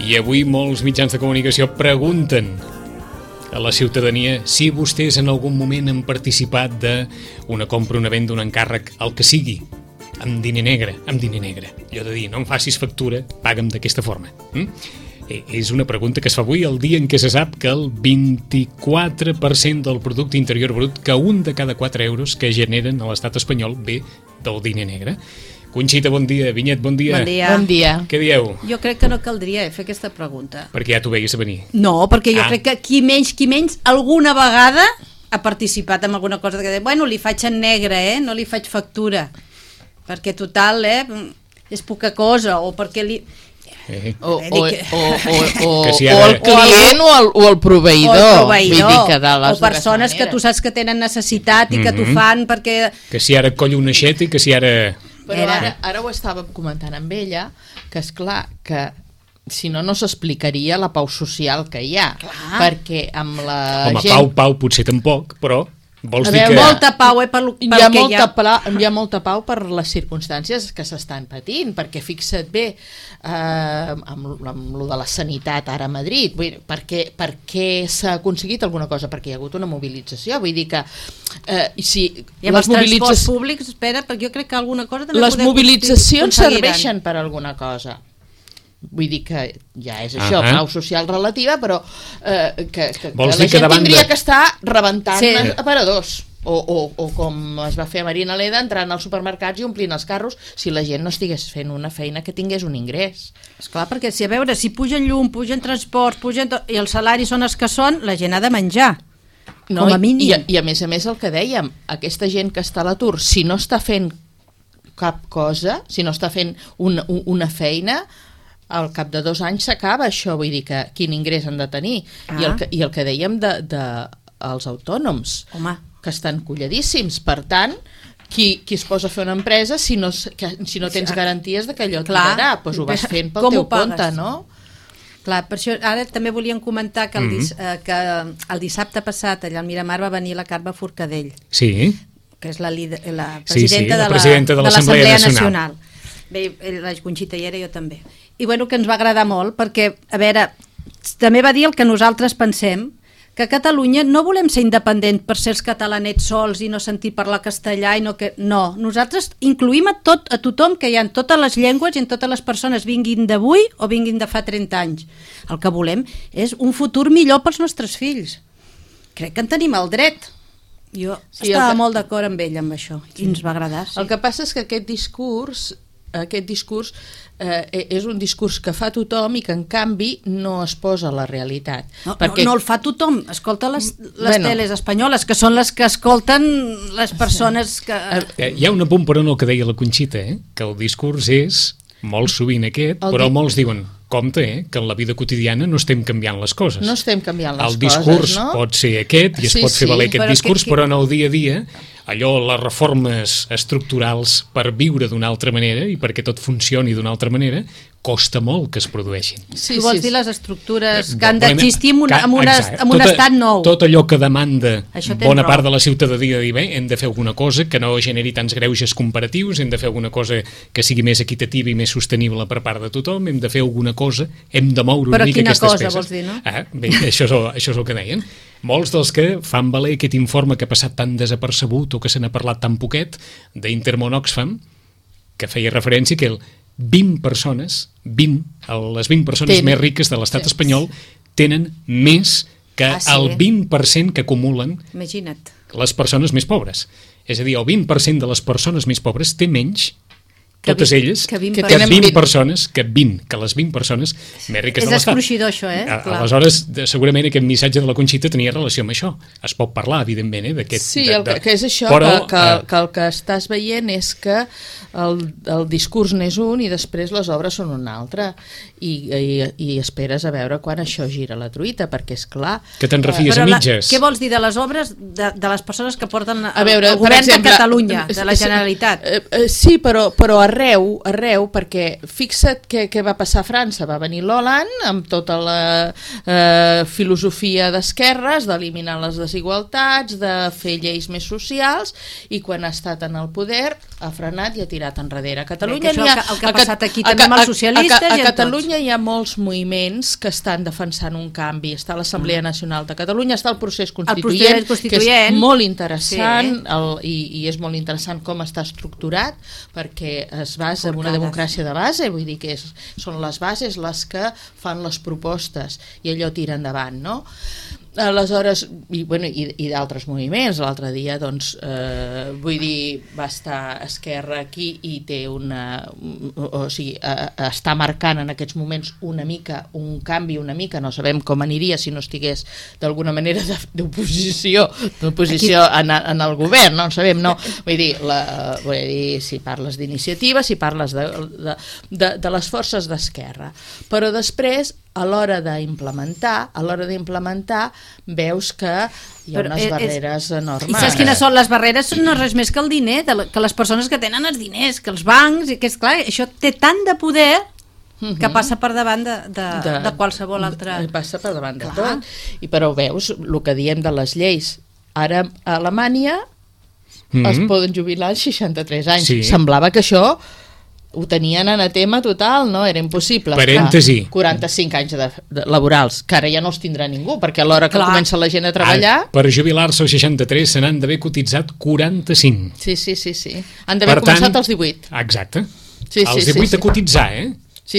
I avui molts mitjans de comunicació pregunten a la ciutadania si vostès en algun moment han participat d'una compra, una venda, un encàrrec, el que sigui, amb diner negre. Allò de dir, no em facis factura, paga'm d'aquesta forma. És una pregunta que es fa avui el dia en què se sap que el 24% del producte interior brut, que un de cada 4 euros que generen a l'estat espanyol ve del diner negre. Conxita, bon dia. Vinyet, bon dia. Bon dia. Què dieu? Jo crec que no caldria fer aquesta pregunta. Perquè ja t'ho veies a venir. No, perquè jo crec que qui menys, alguna vegada ha participat en alguna cosa que bueno, li faig en negre, no li faig factura. Perquè total, és poca cosa, o perquè li... O el client o el proveïdor. Vull dir que o persones que tu saps que tenen necessitat i que t'ho fan perquè... Que si ara collo una aixeta i que si ara... Però ara ho estàvem comentant amb ella, que és clar que si no, no s'explicaria la pau social que hi ha. Clar. Perquè amb la gent... Pau potser tampoc, però... Vols dir que... molta pau, hi ha molta pau per les circumstàncies que s'estan patint, perquè fixa't bé amb lo de la sanitat ara a Madrid, vull dir, per què s'ha aconseguit alguna cosa? Perquè hi ha hagut una mobilització, vull dir que si i amb els transports públics, espera, perquè jo crec que alguna cosa també les mobilitzacions serveixen per alguna cosa. Vull dir que ja és això, pau social relativa, però que la gent tindria que estar rebentant aparadors o com es va fer a Marina Leda, entrant als supermercats i omplint els carros, si la gent no estigués fent una feina que tingués un ingrés. Esclar, perquè si a veure, si pugen llum, pugen transports, i els salaris són els que són, la gent ha de menjar. Com a mínim. I a més el que dèiem, aquesta gent que està a l'atur, si no està fent cap cosa, si no està fent una feina, al cap de 2 anys s'acaba això, vull dir que quin ingrés han de tenir. I el que dèiem dels autònoms, que estan colladíssims. Per tant, qui es posa a fer una empresa si no tens garanties de que allò tirarà? Doncs ho vas fent pel teu compte, no? Clar, per això ara també volíem comentar que el dissabte passat allà al Miramar va venir la Carme Forcadell, que és la presidenta de l'Assemblea Nacional. Bé, la Conxita hi era, jo també. I bueno, que ens va agradar molt, perquè, a veure, també va dir el que nosaltres pensem, que a Catalunya no volem ser independents per ser els catalanets sols i no sentir parlar castellà i no, nosaltres incluïm a tothom, que hi ha en totes les llengües i en totes les persones, vinguin d'avui o vinguin de fa 30 anys. El que volem és un futur millor pels nostres fills. Crec que en tenim el dret. Jo estava molt d'acord amb ell amb això i ens va agradar. El que passa és que aquest discurs és un discurs que fa tothom i que en canvi no es posa a la realitat. No el fa tothom, escolta les teles espanyoles, que són les que escolten les persones que... Hi ha un apunt però no el que deia la Conxita, que el discurs és molt sovint aquest, però molts diuen compte, que en la vida quotidiana no estem canviant les coses. No estem canviant les coses, no? El discurs pot ser aquest i es pot fer valer aquest discurs, però en el dia a dia allò, les reformes estructurals per viure d'una altra manera i perquè tot funcioni d'una altra manera, costa molt que es produeixin. Tu vols dir les estructures que han d'existir en un estat nou. Tot allò que demanda bona part de la ciutadania de dir, bé, hem de fer alguna cosa que no generi tants greuges comparatius, hem de fer alguna cosa que sigui més equitativa i més sostenible per part de tothom, hem de fer alguna cosa, hem de moure una mica aquestes peces. Però quina cosa vols dir, no? Bé, això és el que deien. Molts dels que fan valer aquest informe que ha passat tan desapercebut o que se n'ha parlat tan poquet d'Intermón Oxfam, que feia referència que les 20 persones més riques de l'estat espanyol tenen més que el 20% que acumulen les persones més pobres. És a dir, el 20% de les persones més pobres té menys, totes elles, que les 20 persones més riques de l'estat. És escruixidor això, Aleshores, segurament aquest missatge de la Conxita tenia relació amb això. Es pot parlar, evidentment, d'aquest... Sí, que és això, que el que estàs veient és que el discurs n'és un i després les obres són un altre. I esperes a veure quan això gira la truita, perquè és clar... Que te'n refies a mitges. Què vols dir de les obres de les persones que porten el govern de Catalunya, de la Generalitat? Sí, però arreu, perquè fixa't què va passar a França. Va venir l'Hollande amb tota la filosofia d'esquerres, d'eliminar les desigualtats, de fer lleis més socials, i quan ha estat en el poder ha frenat i ha tirat enrere. A Catalunya el que ha passat aquí també amb els socialistes. A Catalunya hi ha molts moviments que estan defensant un canvi. Està l'Assemblea Nacional de Catalunya, està el procés constituent, que és molt interessant, i és molt interessant com està estructurat, perquè es basa en una democràcia de base, vull dir que són les bases les que fan les propostes i allò tira endavant, no? Aleshores, i d'altres moviments. L'altre dia, doncs, vull dir, va estar Esquerra aquí i té està marcant en aquests moments una mica, un canvi una mica, no sabem com aniria si no estigués d'alguna manera d'oposició en el govern, no en sabem, no? Vull dir, si parles d'iniciativa, si parles de les forces d'esquerra. Però després, a l'hora d'implementar, veus que hi ha unes barreres enormes. I saps quines són les barreres? No és res més que el diner, que les persones que tenen els diners, que els bancs, i que és clar, això té tant de poder que passa per davant de qualsevol altra... Passa per davant de tot. Però veus el que diem de les lleis. Ara a Alemanya es poden jubilar als 63 anys. Semblava que això ho tenien anatema total, no? Era impossible. Parèntesi. 45 anys laborals, que ara ja no els tindrà ningú, perquè a l'hora que comença la gent a treballar... Per jubilar-se als 63 se n'han d'haver cotitzat 45. Sí. Han d'haver començat als 18. Exacte. Als 18 a cotitzar,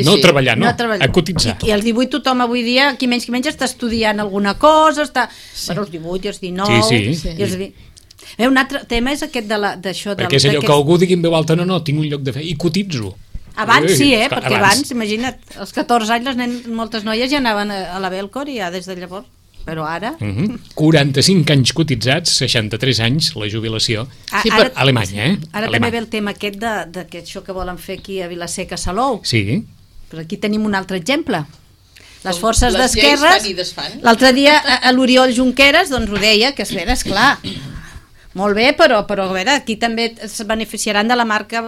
no a treballar, no, a cotitzar. I als 18 tothom avui dia, qui menys està estudiant alguna cosa, està... Bueno, els 18 i els 19... I els 20... Un altre tema és aquest d'això... Perquè és allò que algú digui en veu alta, no, tinc un lloc de feina, i cotitzo. Abans sí, perquè abans, imagina't, als 14 anys moltes noies ja anaven a la Belcor i ja des de llavors, però ara... 45 anys cotitzats, 63 anys, la jubilació, a Alemanya, Ara també ve el tema aquest d'això que volen fer aquí a Vila-seca, Salou. Sí. Però aquí tenim un altre exemple. Les forces d'esquerres... L'altre dia l'Oriol Junqueras doncs ho deia, que és clar... Molt bé, però a veure, aquí també es beneficiaran de la marca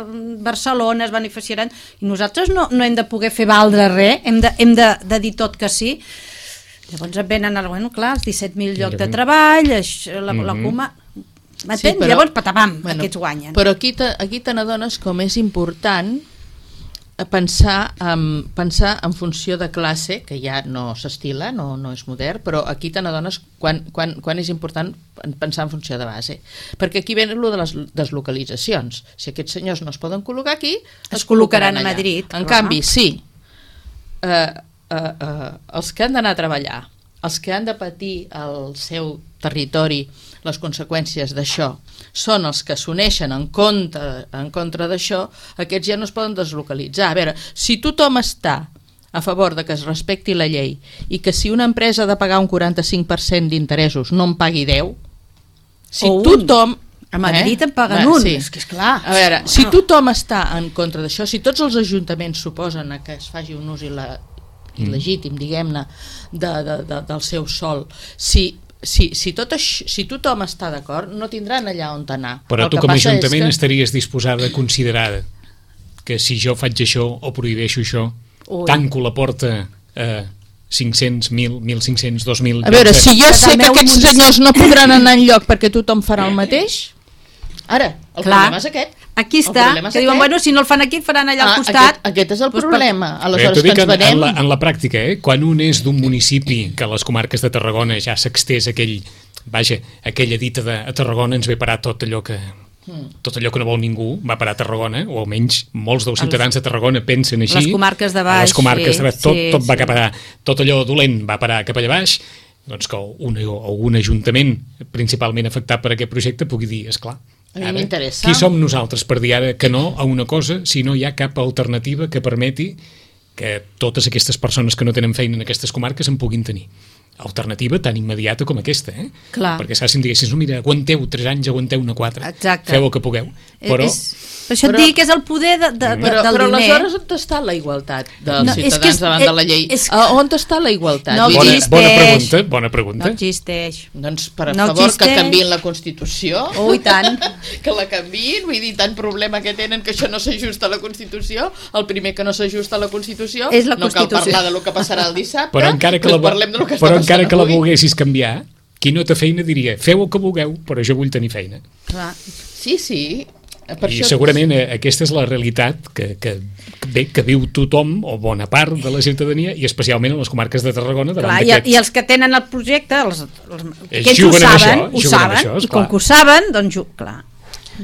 Barcelona, es beneficiaran, i nosaltres no hem de poder fer valdre res, hem de dir tot que sí. Llavors et venen, clar, els 17.000 llocs de treball, la Cuma... M'entens? Llavors, patapam, aquests guanyen. Però aquí te n'adones com és important pensar en funció de classe, que ja no s'estila, no és modern, però aquí te n'adones quan és important pensar en funció de base. Perquè aquí ve el de les deslocalitzacions. Si aquests senyors no es poden col·locar aquí, es col·locaran a Madrid. En canvi, sí, els que han d'anar a treballar, els que han de patir al seu territori les conseqüències d'això, són els que s'uneixen en contra d'això, aquests ja no es poden deslocalitzar. A veure, si tothom està a favor de que es respecti la llei i que si una empresa ha de pagar un 45% d'interessos no en pagui 10, si tothom... A Madrid en paguen un, és que és clar. A veure, si tothom està en contra d'això, si tots els ajuntaments suposen que es faci un ús il·legítim, diguem-ne, del seu sòl, si tothom està d'acord, no tindran allà on anar. Però tu com a Ajuntament estaries disposada a considerar que si jo faig això o prohibeixo això, tanco la porta a 500, 1.000, 1.500, 2.000... A veure, si jo sé que aquests senyors no podran anar enlloc perquè tothom farà el mateix... Ara, el problema és aquest. Aquí està, que diuen, bueno, si no el fan aquí, el faran allà al costat. Aquest és el problema. Aleshores, que ens venem... En la pràctica, quan un és d'un municipi que a les comarques de Tarragona ja s'extés aquella dita de a Tarragona ens ve parar tot allò que no vol ningú, va parar a Tarragona, o almenys molts dels ciutadans de Tarragona pensen així. Les comarques de baix. Les comarques de baix, tot va cap allà, tot allò dolent va parar cap allà baix, doncs que un ajuntament principalment afectat per aquest projecte pugui dir, esclar, qui som nosaltres per dir ara que no a una cosa si no hi ha cap alternativa que permeti que totes aquestes persones que no tenen feina en aquestes comarques en puguin tenir? Alternativa tan immediata com aquesta, perquè saps si em diguessis, no, mira, aguanteu 3 anys, aguanteu-ne 4, feu el que pugueu, però Això et dic que és el poder del diner. Però aleshores on està la igualtat dels ciutadans davant de la llei? On està la igualtat? No existeix. Bona pregunta. No existeix. Doncs, per favor, que canviïn la Constitució. Oh, i tant. Que la canviïn, vull dir, tant problema que tenen que això no s'ajusta a la Constitució. El primer que no s'ajusta a la Constitució és la Constitució. No cal parlar de lo que passarà el dissabte, però encara que la volguessis canviar, qui no té feina diria, feu el que vulgueu, però jo vull tenir feina. Clar. Sí. I segurament aquesta és la realitat que viu tothom o bona part de la ciutadania i especialment a les comarques de Tarragona. I els que tenen el projecte, ells ho saben, i com que ho saben, doncs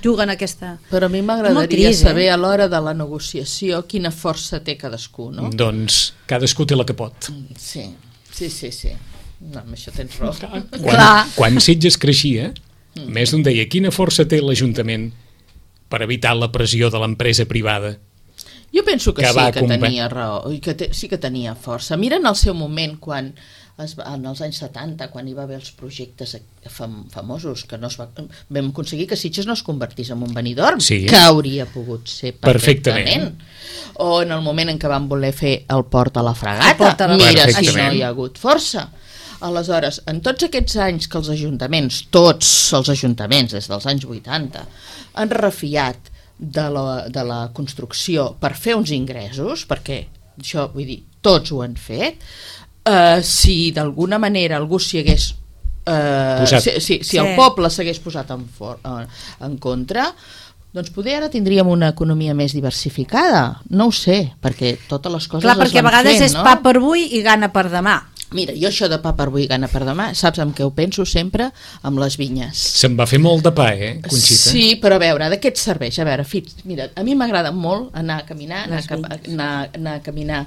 juguen aquesta... Però a mi m'agradaria saber a l'hora de la negociació quina força té cadascú, no? Doncs cadascú té la que pot. Sí. No, amb això tens raó. Quan Sitges creixia, més d'un deia, quina força té l'Ajuntament per evitar la pressió de l'empresa privada? Jo penso que sí que tenia raó, i que sí que tenia força. Mira en el seu moment, quan en els anys 70, quan hi va haver els projectes famosos, que vam aconseguir que Sitges no es convertís en un Benidorm, que hauria pogut ser perfectament. O en el moment en què van voler fer el port a la Fragata. Mira, si no hi ha hagut força. Aleshores, en tots aquests anys que els ajuntaments, tots els ajuntaments des dels anys 80, han refiat de la construcció per fer uns ingressos, perquè això, vull dir, tots ho han fet, si d'alguna manera algú s'hi hagués... si el poble s'hagués posat en contra, doncs poder ara tindríem una economia més diversificada. No ho sé, perquè totes les coses es van fent, no? Clar, perquè a vegades és pa per avui i gana per demà. Mira, jo això de pa per avui i gana per demà, saps amb què ho penso sempre? Amb les vinyes. Se'n va fer molt de pa, Conxita? Sí, però a veure, de què et serveix? A veure, mira, a mi m'agrada molt anar a caminar, anar a caminar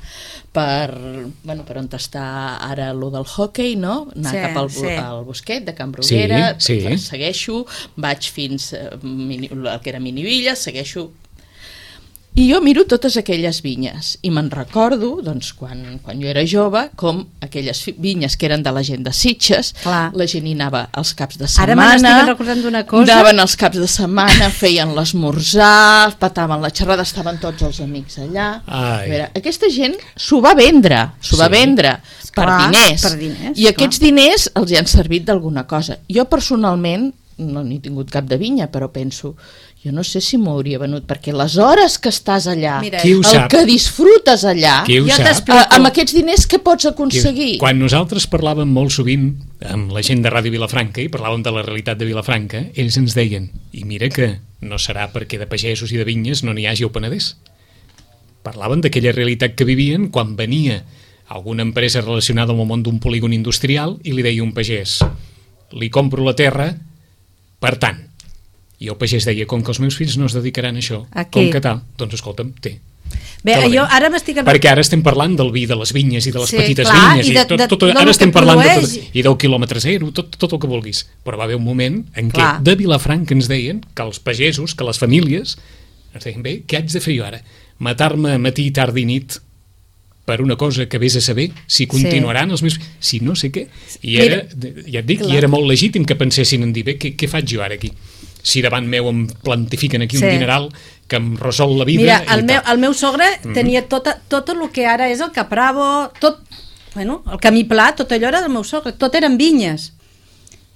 per on està ara lo del hockey, no? Anar cap al bosquet de Can Bruguera, segueixo, vaig fins el que era Minivilla, segueixo... I jo miro totes aquelles vinyes i me'n recordo, doncs, quan jo era jove, com aquelles vinyes que eren de la gent de Sitges, la gent hi anava els caps de setmana, ara me n'estic recordant d'una cosa, anaven els caps de setmana, feien l'esmorzar, pataven la xerrada, estaven tots els amics allà. A veure, aquesta gent s'ho va vendre per diners, i aquests diners els hi han servit d'alguna cosa. Jo personalment no n'he tingut cap de vinya, però penso, jo no sé si m'ho hauria venut, perquè les hores que estàs allà, el que disfrutes allà, amb aquests diners què pots aconseguir? Quan nosaltres parlàvem molt sovint amb la gent de Ràdio Vilafranca i parlàvem de la realitat de Vilafranca, ells ens deien, i mira que no serà perquè de pagesos i de vinyes no n'hi hagi al Penedès. Parlaven d'aquella realitat que vivien quan venia alguna empresa relacionada amb el món d'un polígon industrial i li deia un pagès, li compro la terra per tant. I el pagès deia, com que els meus fills no es dedicaran a això, com que tal, doncs escolta'm, té. Bé, jo ara m'estic... Perquè ara estem parlant del vi de les vinyes i de les petites vinyes, ara estem parlant i del quilòmetre zero, tot el que vulguis. Però va haver un moment en què de Vilafranca ens deien que els pagesos, que les famílies, ens deien, bé, què haig de fer jo ara? Matar-me matí, tarda i nit per una cosa que vés a saber si continuaran els meus... si no sé què. I era, ja et dic, i era molt legítim que pensessin en dir, bé, què faig jo ara aquí? Si davant meu em plantifiquen aquí un dineral que em resol la vida... Mira, el meu sogre tenia tot el que ara és el Capravo, tot, el Camí Pla, tot allò era del meu sogre, tot eren vinyes.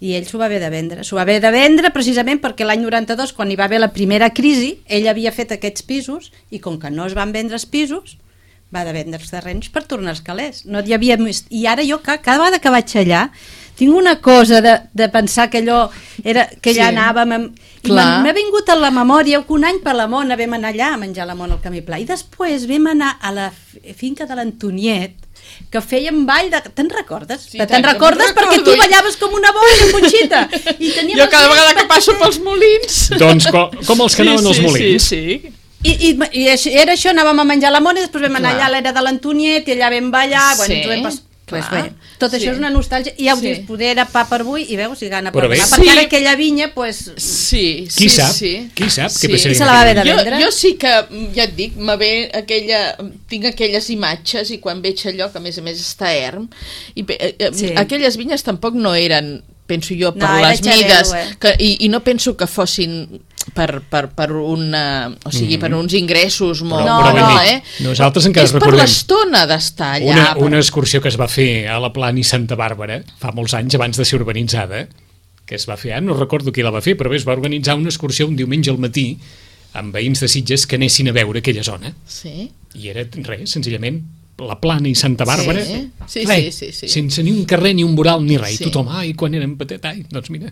I ell s'ho va haver de vendre. S'ho va haver de vendre precisament perquè l'any 92, quan hi va haver la primera crisi, ell havia fet aquests pisos i com que no es van vendre els pisos, va de vendre els terrenys per tornar als calés. No hi havia més... I ara jo, cada vegada que vaig allà, tinc una cosa de pensar que allò era, que allà anàvem... M'ha vingut a la memòria que un any per la Mona vam anar allà a menjar la Mona al Camí Pla i després vam anar a la finca de l'Antoniet que fèiem ball de... Te'n recordes? Sí, te'n recordes perquè tu ballaves com una boia, Conxita. Jo cada vegada que passo pels molins... Doncs com els que anaven als molins. Sí. I era això, anàvem a menjar la Mona i després vam anar allà a l'era de l'Antoniet i allà vam ballar... Pues bé, tot això és una nostàlgia i ja ho dius, poder era pa per avui i veus si gana per demà, perquè ara aquella vinya pues... Qui sap què passaria? Se la va haver de vendre? Jo sí que, ja et dic, tinc aquelles imatges i quan veig allò que a més està erm i aquelles vinyes tampoc no eren, penso jo, per les mides i no penso que fossin o sigui, per uns ingressos molt... Nosaltres encara és per l'estona d'estar allà. Una excursió que es va fer a la Plana i Santa Bàrbara fa molts anys abans de ser urbanitzada, que es va fer, no recordo qui la va fer, però bé, es va organitzar una excursió un diumenge al matí amb veïns de Sitges que anessin a veure aquella zona. Sí. I era res, senzillament, la Plana i Santa Bàrbara, sí. Sense ni un carrer, ni un mural, ni res. I tothom, quan érem petit, doncs mira.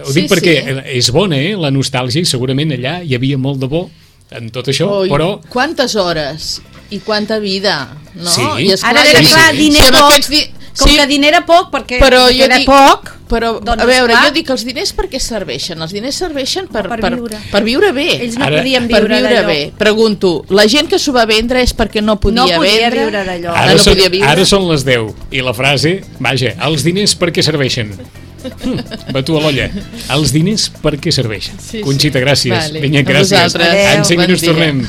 Ho dic perquè és bona, la nostàlgia, i segurament allà hi havia molt de bo en tot això, però... Quantes hores i quanta vida, no? Sí. I esclar, ara era clar, diner poc, com que diner era poc, perquè era poc... Però, doncs, a veure, jo dic, els diners per què serveixen? Els diners serveixen per viure bé. Ells no podien viure bé. Pregunto, la gent que s'ho va vendre és perquè no podia viure d'allò. Ara són les 10 i la frase, vaja, els diners per què serveixen? Batu a l'olla. Els diners per què serveixen? Conxita, gràcies. Vinga, gràcies. En 5 minuts tornem.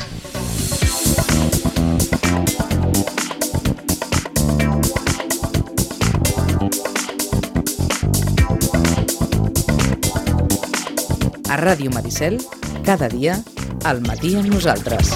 A Ràdio Maricel, cada dia, al matí amb nosaltres.